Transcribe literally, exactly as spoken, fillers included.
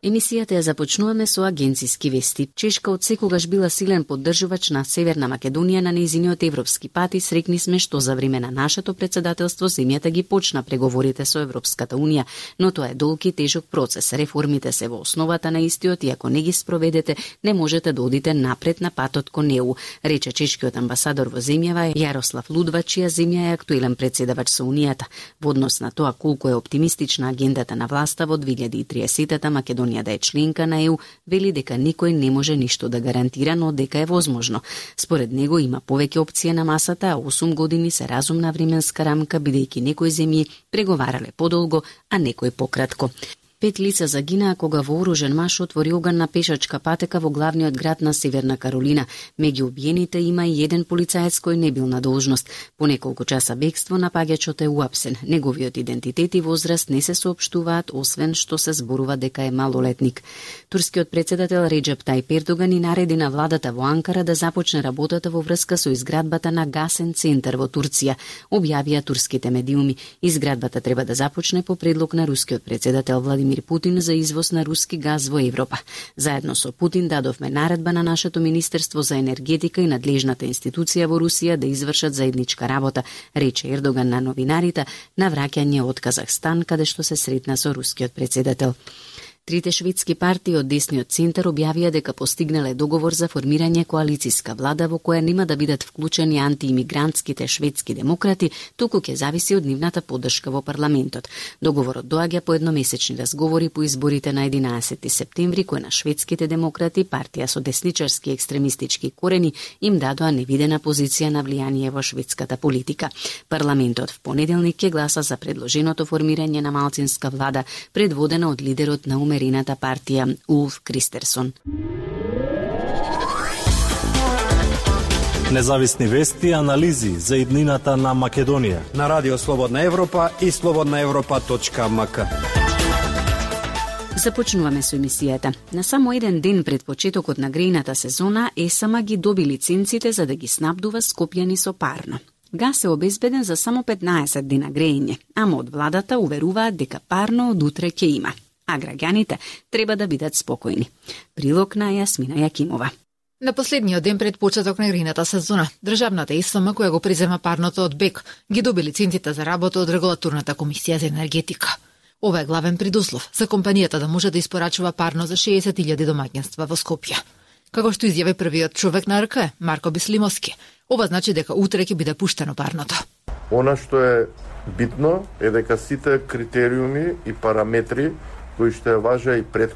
Емисијата ја започнуваме со агенциски вести. Чешка од секогаш била силен поддржувач на Северна Македонија на нејзиниот европски пат и срекни сме што за време на нашето председателство земјата ги почна преговорите со Европската унија, но тоа е долг и тежок процес. Реформите се во основата на истиот и ако не ги спроведете, не можете да одите напред на патот кон Е У, рече чешкиот амбасадор во земјава Јарослав Лудва, чија земја е актуелен претседавач со Унијата. Во однос на тоа колку е оптимистична агендата на власта во две илјади и триесетта Македонија да е членка на Е У, вели дека никој не може ништо да гарантира, но дека е возможно. Според него има повеќе опции на масата, а осум години се разумна временска рамка, бидејќи некои земји преговарале подолго, а некои пократко. Пет лица загинаа кога вооружен маж отвори оган на пешачка патека во главниот град на Северна Каролина. Меѓу убиените има и еден полицаец кој не бил на должност. По неколку часа бегство напаѓачот е уапсен. Неговиот идентитет и возраст не се соопштуваат, освен што се зборува дека е малолетник. Турскиот председател Реџеп Тајип Ердоган и нареди на владата во Анкара да започне работата во врска со изградбата на гасен центар во Турција, објавија турските медиуми. Изградбата треба да започне по предлог на рускиот председател Владимир Путин за извоз на руски газ во Европа. Заедно со Путин дадовме наредба на нашето Министерство за енергетика и надлежната институција во Русија да извршат заедничка работа, рече Ердоган на новинарите на враќање од Казахстан, каде што се сретна со рускиот председател. Трите шведски партии од десниот центар објавија дека постигнале договор за формирање коалициска влада во која нема да бидат вклучени антиимигрантските шведски демократи, туку ќе зависи од нивната поддршка во парламентот. Договорот доаѓа по едномесечни разговори по изборите на единаесетти септември, кои на шведските демократи, партија со десничарски екстремистички корени, им дадоа невидена позиција на влијание во шведската политика. Парламентот в понеделник ќе гласа за предложеното формирање на малцинска влада, предводена од лидерот на умерената партија Улф Кристерсон. Независни вести и анализи за иднината на Македонија на Радио Слободна Европа и слободна европа точка ем ка. Започнуваме со емисијата. На само еден ден пред почетокот на грејната сезона, ЕСАМА ги доби лиценците за да ги снабдува Скопјани со парно. Газ е обезбеден за само петнаесет дена грејење, ама од владата уверуваат дека парно од утре ќе има, а граѓаните треба да бидат спокојни. Прилог на Јасмина Јакимова. На последниот ден пред почеток на грејната сезона, државната ЕСМ, која го презема парното од БЕК, ги доби лиценците за работа од Регулаторната комисија за енергетика. Ова е главен предуслов за компанијата да може да испорачува парно за шеесет илјади домаќинства во Скопје. Како што изјави првиот човек на РК, Марко Бислимовски, ова значи дека утре ќе биде пуштено парното. Она што е битно е дека сите критериуми и параметри кои што важеа и претходно